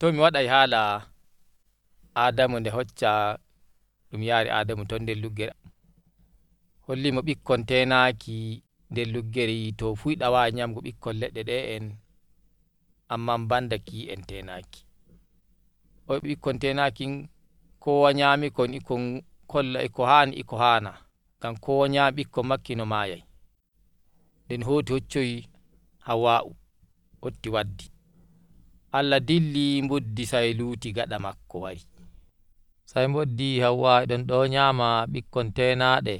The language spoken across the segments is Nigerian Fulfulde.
To mi waɗai hala Adamu nde hocca ɗum yari Adamu ton nder luggere holli mo ɓikkon tenaki nder luggere to fuyda wawai nyamugo ɓikkon leɗɗe ɗe'en amma banda ki'en tenaki. ɓikkon tenaki kowa nyami kon ikon kolla ko hani e ko hana ngam kowa nyami ɓikkon makki no mayai. nden hoti hoccoyi Hawwa'u hoti waddi Allah dilli buddi sai luti gaɗa makko wari sai boddi Hawwa e ɗon nyama ɓikkon tenaɗe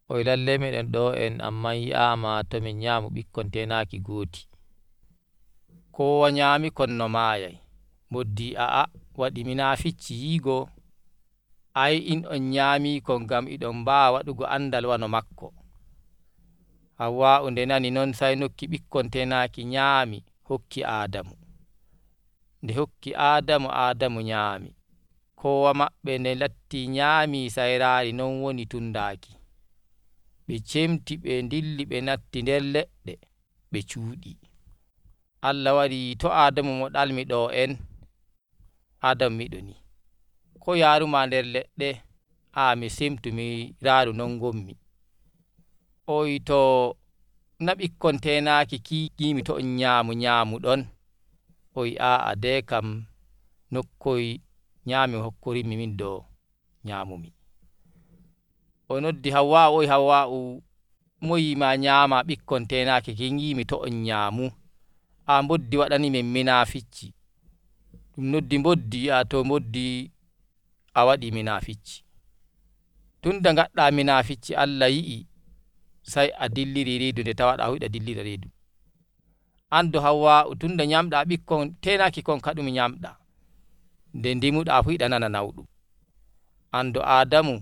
o wi lallai meɗen ɗo amma yi'ama to min nyamu ɓikkon tenaki goti kowa nyami kon no mayai moddi waɗi minaficci yigo ai in on nyami kon ngam eɗon bawa waɗugo andal wano makko. Hawwa'u nde nani non sai nokki ɓikkon tenaki nyami hokki Adamu nde hokki Adamu nyami kowa maɓɓe nde latti nyami sai rari non woni tundaki ɓe cemti ɓe dilli ɓe natti nder leɗɗe ɓe cuɗi. Allah wari to Adamu mo ɗalmi ɗo Adamu miɗo ni ko yaruma nder leɗɗe mi semtu mi raru non gommi o wi to na ɓikkon tenaki kikimi to on nyamu ɗon o wi dai kam nokkoyi nyami hokkorinmi min do nyamumi. O noddi Hawwa'u o wi Hawwa'u mo yima nyama ɓikkon tenaki kin yimi to on nyamu boddi waɗani min minaficci ɗum noddi boddi to boddi a waɗi minaficci tunda gadda minaficci Allah yi'i sai a dilliri redu nde tawaɗa huɗa dillira redu. Ando Hawwa'u tunda nyamɗa ɓikkon tenaki kon kadum nyamɗa nde ndimuɗa fu yiɗa nana nauɗum ando Adamu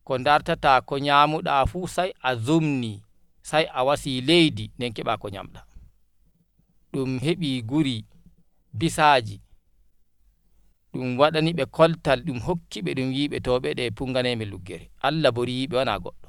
ko dartata ko nyamuɗa fu sai a zumni sai a wasi leydi nden keɓa ko nyamɗa. ɗum heɓi guri bisaji ɗum waɗani ɓe koltal ɗum hokki ɓe ɗum yiɓe to ɓe punganemen luggere Allah bo riyiɓe wana goɗɗo